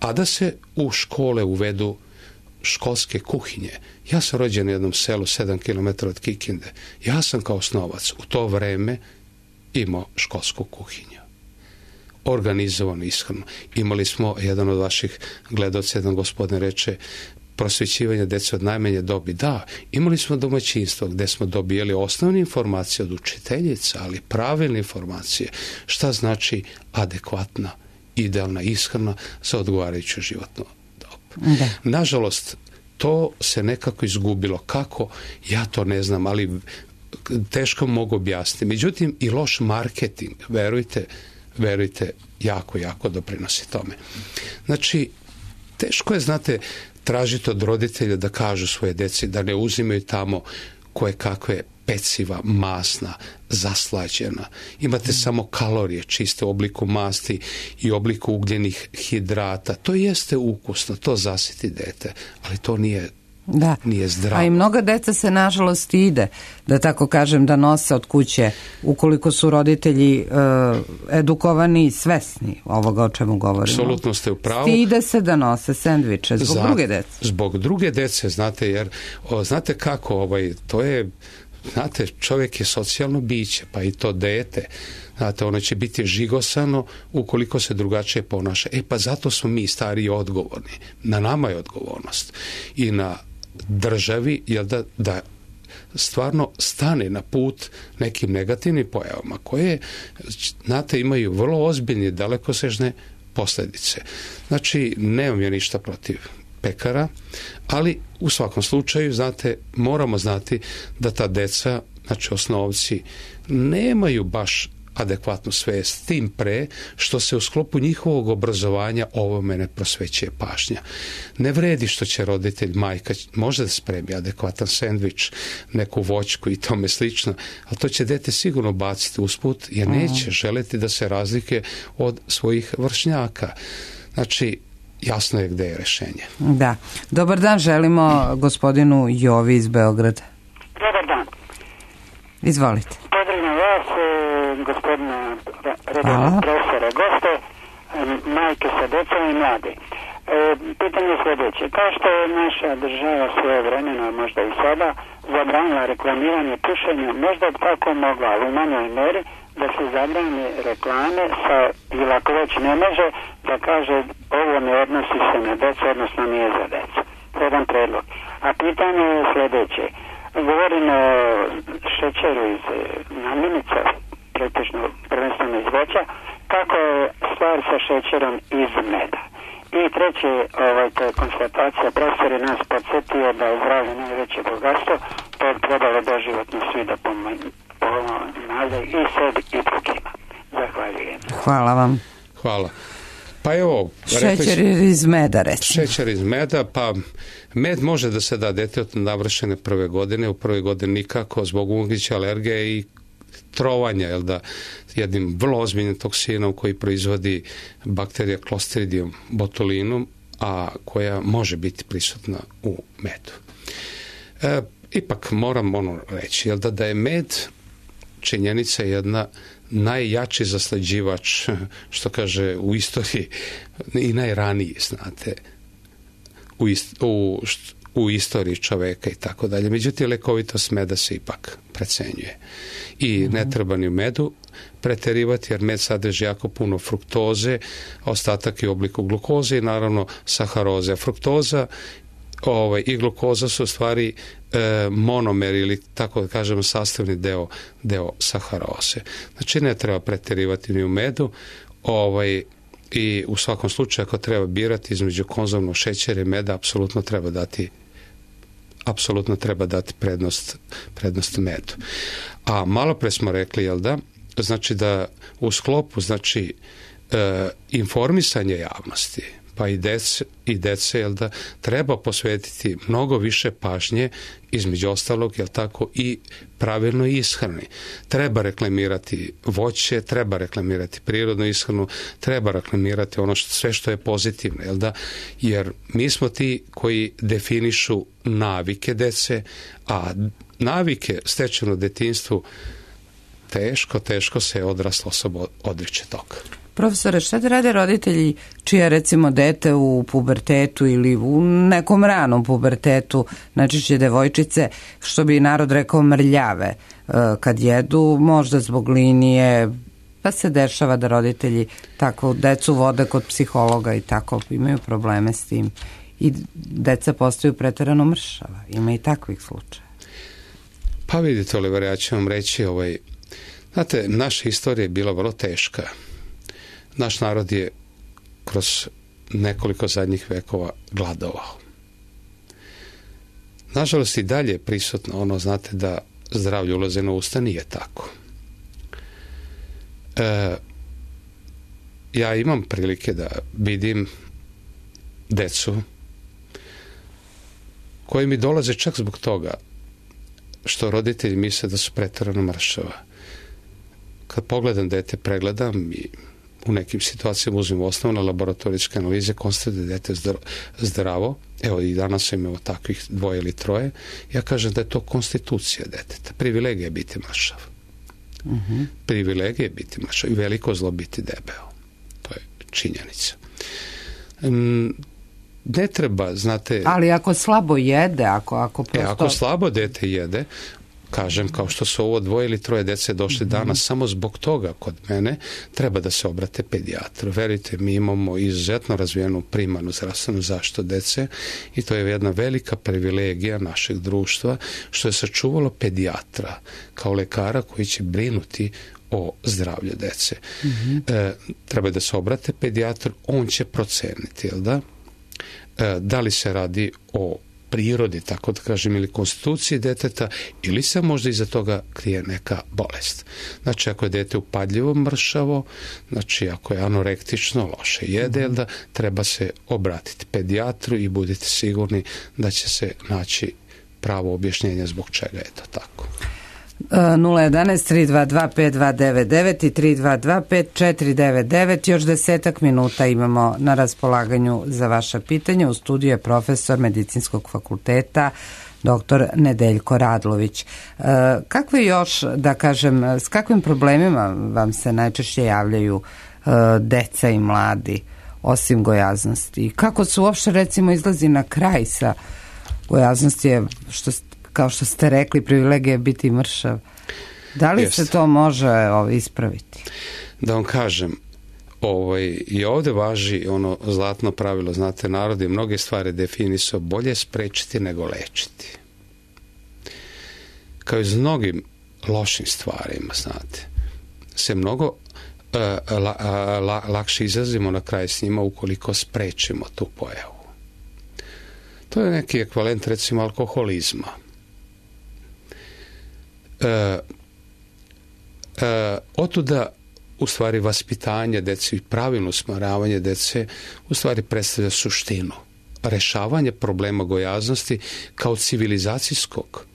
Speaker 2: a da se u škole uvedu školske kuhinje. Ja sam rođen u jednom selu sedam kilometara od Kikinde. Ja sam kao osnovac u to vreme imao školsku kuhinju. Organizovano, ishranu. Imali smo, jedan od vaših gledaoca, jedan gospodin reče, prosvećivanje dece od najmanje dobi. Da, imali smo domaćinstvo gde smo dobijali osnovne informacije od učiteljica, ali pravilne informacije. Šta znači adekvatna, idealna ishrana za odgovarajuću životnu dobu. Da. Nažalost, to se nekako izgubilo. Kako? Ja to ne znam, ali teško mogu objasniti. Međutim, i loš marketing, verujte, verujte, jako, jako doprinosi tome. Znači, teško je, znate, tražiti od roditelja da kažu svoje deci da ne uzimaju tamo koje kakve peciva, masna, zaslađena. Imate mm. samo kalorije čiste u obliku masti i obliku ugljenih hidrata. To jeste ukusno, to zasiti dete, ali to nije,
Speaker 1: da.
Speaker 2: nije zdravo.
Speaker 1: A i mnoga deca se, nažalost, ide, da tako kažem, da nose od kuće, ukoliko su roditelji e, edukovani i svesni ovoga o čemu govorimo.
Speaker 2: Apsolutno ste u pravu.
Speaker 1: Stide se da nose sendviče zbog Za, druge dece.
Speaker 2: Zbog druge dece, znate, jer o, znate kako, ovaj, to je, znate, čovjek je socijalno biće, pa i to dete, znate, ono će biti žigosano ukoliko se drugačije ponaša. E pa zato smo mi stariji odgovorni. Na nama je odgovornost. I na državi, jel da, da stvarno stane na put nekim negativnim pojavama koje, znate, imaju vrlo ozbiljne, dalekosežne posljedice. Znači, nemam ja ništa protiv pekara, ali u svakom slučaju, znate, moramo znati da ta deca, znači osnovci, nemaju baš adekvatnu svest, tim pre što se u sklopu njihovog obrazovanja ovome ne prosvećuje pažnja. Ne vredi što će roditelj, majka, može da spremi adekvatan sendvič, neku voćku i tome slično, ali to će dete sigurno baciti usput jer neće želeti da se razlike od svojih vršnjaka. Znači, jasno je gde je rešenje.
Speaker 1: Da. Dobar dan, želimo gospodinu Jovi iz Beograda.
Speaker 19: Dobar dan.
Speaker 1: Izvolite.
Speaker 19: Pozdravljam vas, gospodine redovnog profesora, goste, majke sa decom i mlade. E, pitanje je sljedeće. Kao što je naša država svoje vremena, možda i sada, zabranila reklamiranje pušenja, možda bi tako mogla, ali u manjoj meri, da se zabrane reklame sa, ili ako već ne može, da kaže ovo ne odnosi se na decu, odnosno nije za decu. Jedan predlog. A pitanje je sljedeće. Govorim o šećeru iz namirnica, pretežno prvenstveno iz voća, kako je stvar sa šećerom iz meda. I treće, ovaj, to je konstatacija, profesor je nas podsjetio da je zdravlje najveće bogatstvo, to je trebalo doživotno svi da pomale i sebi i drugima. Zahvaljujem.
Speaker 1: Hvala vam.
Speaker 2: Hvala. Pa evo,
Speaker 1: šećer iz meda, recimo.
Speaker 2: Šećer iz meda, pa med može da se da detetu navršene prve godine, u prvoj godini nikako zbog moguće alergije i trovanja, jel da, jednim vrlo ozbiljnim toksinom koji proizvodi bakterija Clostridium botulinum, a koja može biti prisutna u medu. E, ipak moram ono reći, jel da, da je med činjenica jedna najjači zaslađivač, što kaže u istoriji, i najraniji, znate, u, ist, u, u istoriji čoveka i tako dalje. Međutim, lekovitost meda se ipak precenjuje. I ne treba ni u medu preterivati, jer med sadrži jako puno fruktoze, ostatak je u obliku glukoze i naravno saharoze. A fruktoza ovaj, i glukoza su u stvari e, monomer ili tako da kažemo sastavni deo, deo saharoze. Znači ne treba preterivati ni u medu, ovaj, i u svakom slučaju ako treba birati između konzumnog šećera i meda, apsolutno treba dati apsolutno treba dati prednost, prednost medu. A malo pre smo rekli, jel da, znači da u sklopu znači e, informisanje javnosti, pa i dece, i dece, jel da, treba posvetiti mnogo više pažnje, između ostalog, jel tako, i pravilnoj ishrani. Treba reklamirati voće, treba reklamirati prirodnu ishranu, treba reklamirati ono što, sve što je pozitivno, jel da, jer mi smo ti koji definišu navike dece, a navike stečene u detinjstvu teško, teško se odrasla osoba odriče toga.
Speaker 1: Profesore, šta da rade roditelji čija recimo dete u pubertetu ili u nekom ranom pubertetu, najčešće devojčice, što bi narod rekao mrljave, kad jedu, možda zbog linije, pa se dešava da roditelji tako decu vode kod psihologa i tako imaju probleme s tim i deca postaju preterano mršava. Ima i takvih slučaja.
Speaker 2: Pa vidite, Oliver, ja ću vam reći, ovaj, znate, naša istorija je bila vrlo teška. Naš narod je kroz nekoliko zadnjih vekova gladovao. Nažalost i dalje je prisutno ono, znate, da zdravlje ulaze na usta, nije tako. E, ja imam prilike da vidim decu koji mi dolaze čak zbog toga što roditelji misle da su preterano mršava. Kad pogledam dete, pregledam i u nekim situacijama uzmem osnovne laboratorijske analize, konstatuje da je dete zdravo. Evo i danas imamo takvih dvoje ili troje. Ja kažem da je to konstitucija deteta. Privilegija je biti mršav. Uh-huh. Privilegija je biti mršav i veliko zlo biti debeo. To je činjenica. Um, ne treba, znate...
Speaker 1: Ali ako slabo jede, ako, ako prosto...
Speaker 2: E, ako slabo dete jede, kažem, kao što su ovo dvoje ili troje dece došli danas, samo zbog toga kod mene treba da se obrate pedijatru. Verujte, mi imamo izuzetno razvijenu primarnu zdravstvenu zaštitu dece i to je jedna velika privilegija našeg društva što je sačuvalo pedijatra kao lekara koji će brinuti o zdravlju dece. Mm-hmm. E, treba da se obrate pedijatru, on će proceniti, jel da? E, da li se radi o prirodi, tako da kažem, ili konstituciji deteta, ili se možda iza toga krije neka bolest. Znači, ako je dete upadljivo mršavo, znači, ako je anorektično, loše jede, da treba se obratiti pedijatru i budite sigurni da će se naći pravo objašnjenje zbog čega je to tako.
Speaker 1: nula jedan tri dva dva pet dva devet devet i tri dva dva pet četiri devet devet. Još desetak minuta imamo na raspolaganju za vaša pitanja. U studiju je profesor Medicinskog fakulteta doktor Nedeljko Radlović. Kakve još, da kažem, s kakvim problemima vam se najčešće javljaju deca i mladi, osim gojaznosti? Kako se uopšte, recimo, izlazi na kraj sa gojaznosti, je, što, kao što ste rekli, privilegija biti mršav. Da li Jeste. se to može ovaj, ispraviti?
Speaker 2: Da vam kažem, ovaj, i ovdje važi ono zlatno pravilo, znate, narod je mnoge stvari definisao bolje sprečiti nego lečiti. Kao i s mnogim lošim stvarima, znate, se mnogo uh, la, la, lakše izlazimo na kraj s njima ukoliko sprečimo tu pojavu. To je neki ekvivalent, recimo, alkoholizma. Uh, uh, otuda u stvari vaspitanje dece i pravilno usmjeravanje dece u stvari predstavlja suštinu. Rešavanje problema gojaznosti kao civilizacijskog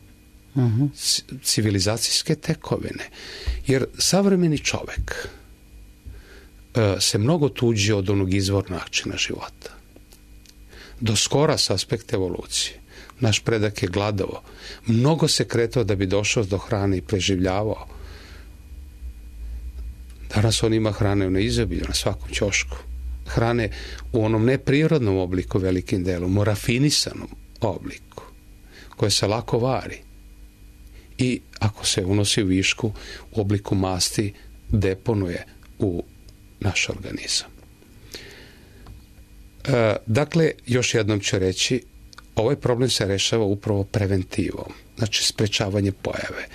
Speaker 2: uh-huh. c- civilizacijske tekovine. Jer savremeni čovek uh, se mnogo tuđi od onog izvornog načina života. Do skora s aspekta evolucije. Naš predak je gladao. Mnogo se kretao da bi došao do hrane i preživljavao. Danas on ima hrane na izobilju, na svakom ćošku. Hrane u onom neprirodnom obliku velikim delom, u rafinisanom obliku, koje se lako vari. I ako se unosi u višku, u obliku masti, deponuje u naš organizam. E, dakle, još jednom ću reći, ovaj problem se rešava upravo preventivom, znači sprečavanje pojave.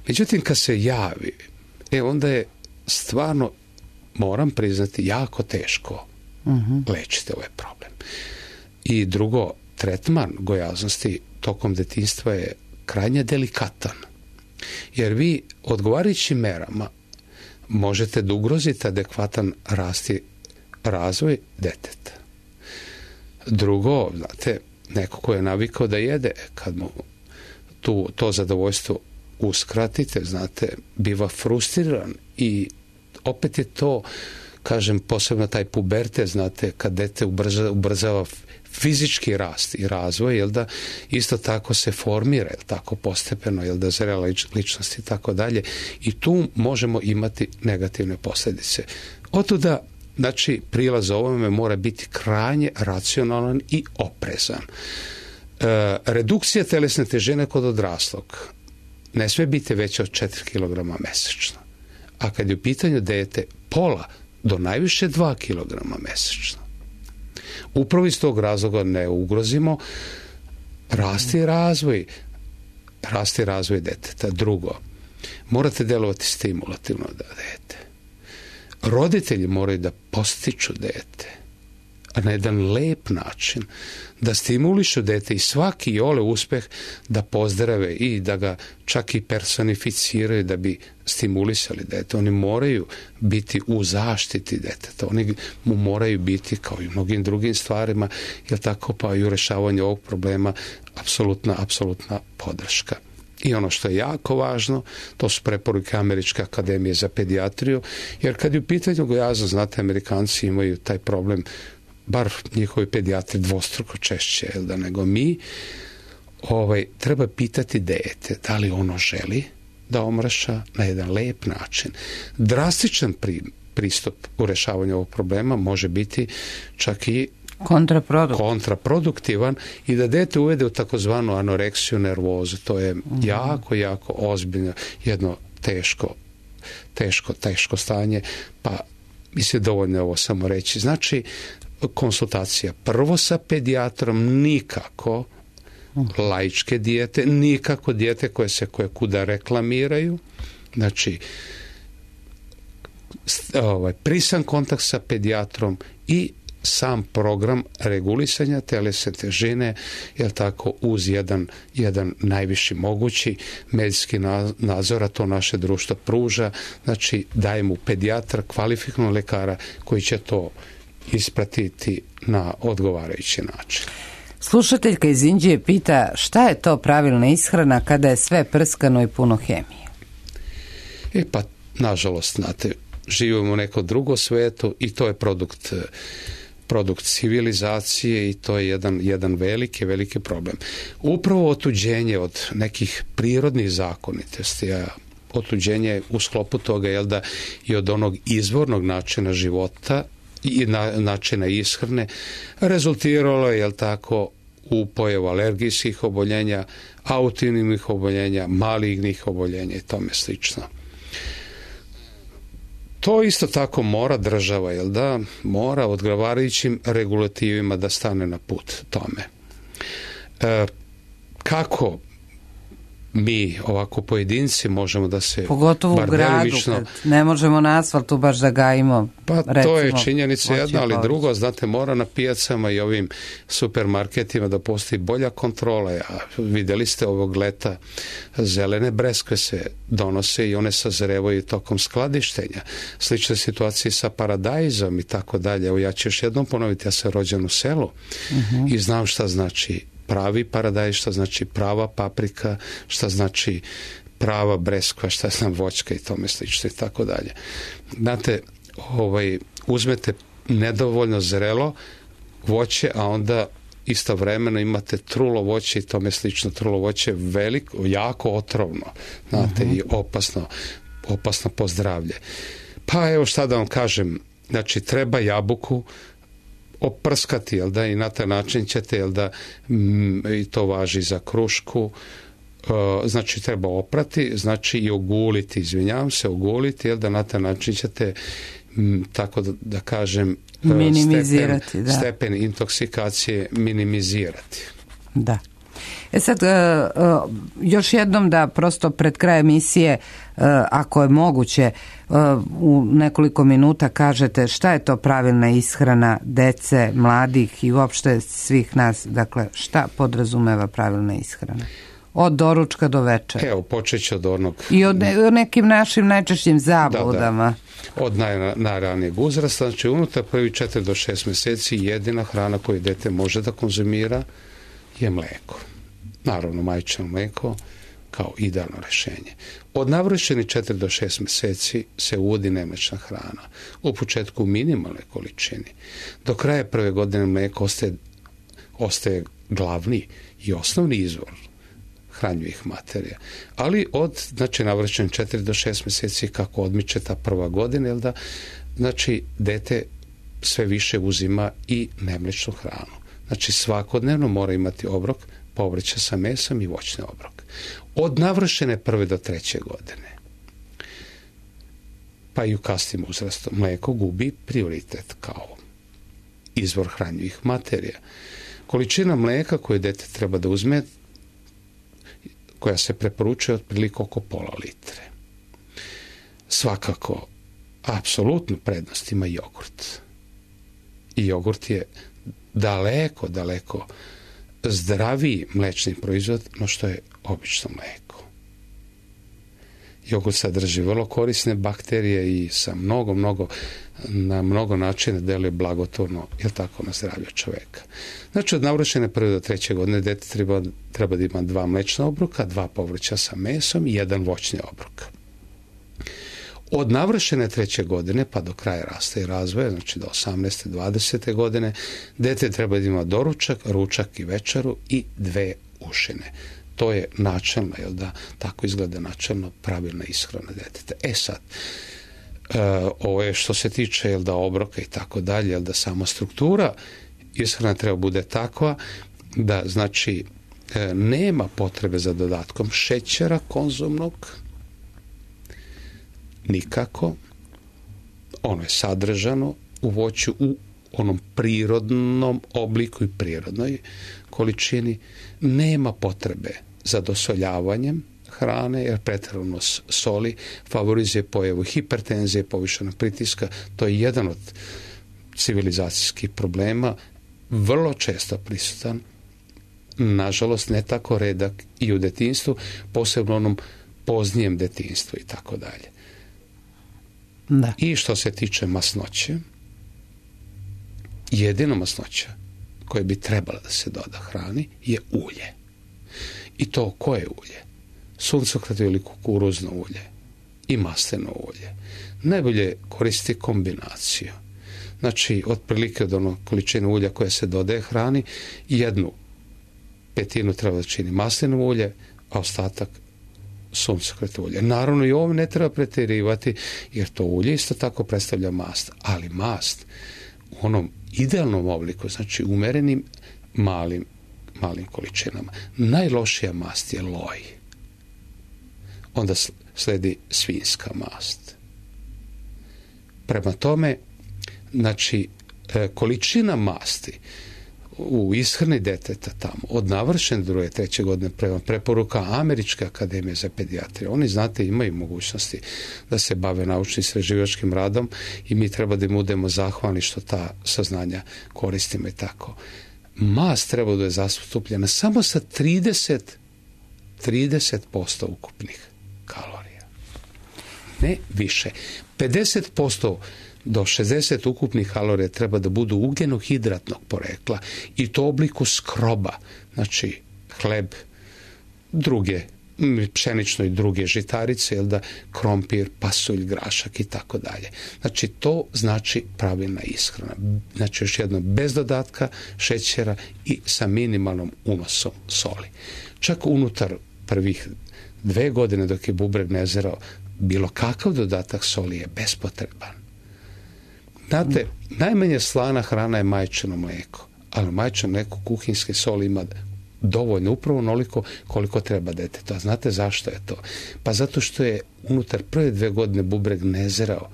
Speaker 2: Međutim, kad se javi, e, onda je stvarno, moram priznati, jako teško uh-huh. lečiti ovaj problem. I drugo, tretman gojaznosti tokom detinjstva je krajnje delikatan. Jer vi odgovarajućim merama možete da ugrozite adekvatan rast i razvoj deteta. Drugo, znate, neko ko je navikao da jede, kad mu tu, to zadovoljstvo uskratite, znate, biva frustriran i opet je to, kažem, posebno taj puberte, znate, kad dete ubrza, ubrzava fizički rast i razvoj, jel da isto tako se formira, jel tako, postepeno, jel da zrela ličnost i tako dalje, i tu možemo imati negativne posljedice. Otuda, znači, prilaz ovome mora biti krajnje racionalan i oprezan. E, redukcija telesne težine kod odraslog ne sve biti veća od četiri kilograma mesečno. A kad je u pitanju dete, pola do najviše dva kilograma mesečno. Upravo iz tog razloga ne ugrozimo rast i razvoj, rast i razvoj deteta. Drugo, morate delovati stimulativno da dete. Roditelji moraju da postiču dete, a na jedan lep način, da stimulišu dete i svaki ole uspeh da pozdrave i da ga čak i personificiraju da bi stimulisali dete. Oni moraju biti u zaštiti deteta. Oni mu moraju biti, kao i mnogim drugim stvarima, jel tako, pa i u rešavanju ovog problema apsolutna, apsolutna podrška. I ono što je jako važno, to su preporuke Američke akademije za pedijatriju, jer kad je u pitanju gojaznost, znate, Amerikanci imaju taj problem, bar njihovi pedijatri dvostruko češće, jel da, nego mi, ovaj, treba pitati dete da li ono želi da omraša na jedan lep način. Drastičan pri, pristup u rešavanju ovog problema može biti čak i
Speaker 1: kontraproduktivan.
Speaker 2: kontraproduktivan i da dete uvede u takozvanu anoreksiju nervozu. To je mm-hmm. jako, jako ozbiljno, jedno teško, teško, teško stanje, pa mislim dovoljno ovo samo reći. Znači, konsultacija prvo sa pedijatrom, nikako laičke dijete, nikako dijete koje se koje kuda reklamiraju, znači ovaj, prisan kontakt sa pedijatrom i sam program regulisanja telesne težine, jel tako, uz jedan, jedan najviši mogući medicinski nadzor, a to naše društvo pruža, znači daje mu pedijatra, kvalifikovanog lekara koji će to ispratiti na odgovarajući način.
Speaker 1: Slušateljka iz Inđije pita šta je to pravilna ishrana kada je sve prskano i puno hemije?
Speaker 2: E pa, nažalost, znate, živimo u nekom drugom svetu i to je produkt, produkt civilizacije i to je jedan, jedan veliki, veliki problem. Upravo otuđenje od nekih prirodnih zakonitosti, a otuđenje u sklopu toga, jel da, i od onog izvornog načina života i na, načina ishrane, rezultiralo je, jel tako, u pojavu alergijskih oboljenja, autoimunih oboljenja, malignih oboljenja i tome slično. To isto tako mora država, jel da, mora odgovarajućim regulativima da stane na put tome. E, kako mi ovako pojedinci možemo da se
Speaker 1: pogotovo u gradu, kad ne možemo na asfaltu baš da gajimo,
Speaker 2: pa
Speaker 1: recimo,
Speaker 2: to je činjenica jedna, ali drugo, znate, mora na pijacama i ovim supermarketima da postoji bolja kontrola. A vidjeli ste ovog leta zelene breskve se donose i one sazrevaju tokom skladištenja. Slična situacija sa paradajzom i tako dalje. Evo, ja ću još jednom ponoviti, ja sam rođen u selu uh-huh. i znam šta znači pravi paradajz, šta znači prava paprika, šta znači prava breskva, šta znam voćka i tome slično i tako dalje. Znate, ovaj, uzmete nedovoljno zrelo voće, a onda istovremeno imate trulo voće i tome slično. Trulo voće je veliko, jako otrovno, znate, uh-huh. i opasno, opasno po zdravlje. Pa evo šta da vam kažem, znači treba jabuku oprskati, jel da, i na taj način ćete, jel da, m, i to važi za krušku, e, znači treba oprati, znači i oguliti, izvinjavam se, oguliti, jel da, na taj način ćete, m, tako da, da kažem,
Speaker 1: minimizirati,
Speaker 2: stepen,
Speaker 1: da.
Speaker 2: stepen intoksikacije minimizirati.
Speaker 1: Da. E sad, uh, uh, još jednom da prosto pred kraj emisije, uh, ako je moguće, uh, u nekoliko minuta kažete šta je to pravilna ishrana dece, mladih i uopšte svih nas, dakle šta podrazumeva pravilna ishrana? Od doručka do večera.
Speaker 2: Evo, počet ću od onog...
Speaker 1: I od ne, nekim našim najčešćim zabludama.
Speaker 2: Da, da. Od naj, najranijeg uzrasta, znači unutar prvi četiri do šest mjeseci jedina hrana koju dete može da konzumira je mlijeko. Naravno, majčino mlijeko kao idealno rješenje. Od navršenih četiri do šest mjeseci se uvodi nemlična hrana. U početku u minimalnoj količini. Do kraja prve godine mlijeko ostaje, ostaje glavni i osnovni izvor hranjivih materija. Ali od, znači, navršenih četiri do šest mjeseci kako odmiče ta prva godina, jel da, znači, dete sve više uzima i nemličnu hranu. Znači, svakodnevno mora imati obrok povrća sa mesom i voćni obrok. Od navršene prve do treće godine, pa i u kasnim uzrastu, mlijeko gubi prioritet kao izvor hranjivih materija. Količina mlijeka koju dete treba da uzme, koja se preporučuje otprilike oko pola litre. Svakako, apsolutnu prednost ima jogurt. I jogurt je daleko, daleko zdraviji mlečni proizvod no što je obično mlijeko. Jogurt sadrži vrlo korisne bakterije i sa mnogo, mnogo, na mnogo načina deluje blagotvorno, jel tako, na zdravlje čovjeka. Znači, od navršene prve do treće godine dete treba, treba da ima dva mlečna obroka, dva povrća sa mesom i jedan voćni obrok. Od navršene treće godine pa do kraja rasta i razvoja, znači do osamnaeste dvadesete godine, dete treba da ima doručak, ručak i večeru i dve ušine. To je načelno, jel da, tako izgleda načelno pravilna ishrana deteta. E sad, e, ovo je što se tiče, jel da, obroka i tako dalje, jel da, sama struktura ishrana treba bude takva da, znači, e, nema potrebe za dodatkom šećera konzumnog, nikako. Ono je sadržano u voću u onom prirodnom obliku i prirodnoj količini. Nema potrebe za dosoljavanjem hrane, jer pretjerano soli favorizuje pojavu hipertenzije, povišenog pritiska. To je jedan od civilizacijskih problema, vrlo često prisutan, nažalost ne tako redak i u detinjstvu, posebno onom poznijem detinjstvu i tako dalje.
Speaker 1: Da.
Speaker 2: I što se tiče masnoće, jedino masnoća koje bi trebala da se doda hrani je ulje. I to koje ulje? Suncokret ili kukuruzno ulje i masleno ulje. Najbolje koristi kombinaciju. Znači, otprilike od onog količine ulja koja se dodaje hrani, jednu petinu treba da čini maslino ulje, a ostatak suncokret ulje. Naravno, i ovo ne treba pretjerivati, jer to ulje isto tako predstavlja mast. Ali mast u onom idealnom obliku, znači umerenim malim, malim količinama. Najlošija mast je loj. Onda sledi svinjska mast. Prema tome, znači, količina masti u ishrani deteta tamo, od navršene druge, treće godine prema preporuka Američke akademije za pedijatriju. Oni, znate, imaju mogućnosti da se bave naučnim istraživačkim radom i mi treba da im budemo zahvalni što ta saznanja koristimo i tako. Mast treba da je zastupljena samo sa trideset posto ukupnih kalorija. Ne više. pedeset posto do šezdeset ukupnih kalorija treba da budu ugljenohidratnog porekla i to u obliku skroba, znači hleb, druge, pšenično i druge žitarice, jel da, krompir, pasulj, grašak i tako dalje. Znači to znači pravilna ishrana. Znači još jedno, bez dodatka šećera i sa minimalnom unosom soli. Čak unutar prvih dve godine dok je bubreg nezreo, bilo kakav dodatak soli je bespotreban. Znate, najmanje slana hrana je majčino mlijeko, ali majčino mlijeko kuhinjske soli ima dovoljno, upravo onoliko koliko treba detetu. A znate zašto je to? Pa zato što je unutar prve dve godine bubreg nezreo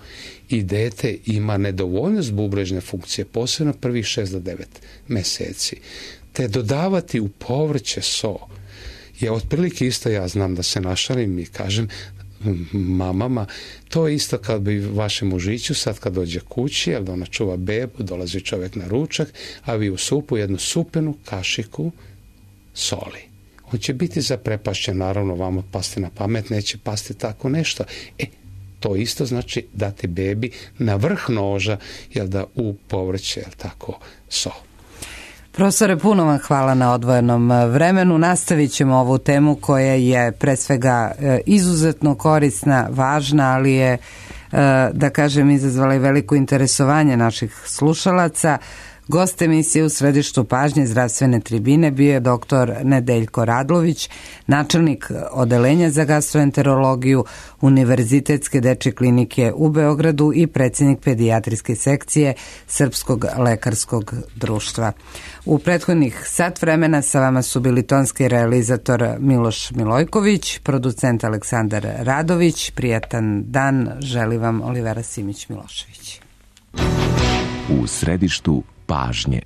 Speaker 2: i dete ima nedovoljnost bubrežne funkcije, posebno prvih šest do devet meseci. Te dodavati u povrće so je otprilike isto, ja znam da se našalim i kažem mamama, to je isto kad bi vašem mužiću sad kad dođe kući, jer da ona čuva bebu, dolazi čovjek na ručak, a vi u supu jednu supenu kašiku soli. On će biti zaprepašćen, naravno vama pasti na pamet, neće pasti tako nešto. E, to isto znači dati bebi na vrh noža, jel da, u povrće, jel tako, so.
Speaker 1: Profesore, puno vam hvala na odvojenom vremenu. Nastavit ćemo ovu temu koja je pre svega izuzetno korisna, važna, ali je, da kažem, izazvala i veliko interesovanje naših slušalaca. Gost emisije u središtu pažnje zdravstvene tribine bio je doktor Nedeljko Radlović, načelnik odeljenja za gastroenterologiju Univerzitetske dečje klinike u Beogradu i predsjednik pedijatrijske sekcije Srpskog lekarskog društva. U prethodnih sat vremena sa vama su bili tonski realizator Miloš Milojković, producent Aleksandar Radović. Prijatan dan želi vam Olivera Simić Milošević.
Speaker 20: U središtu pažnje.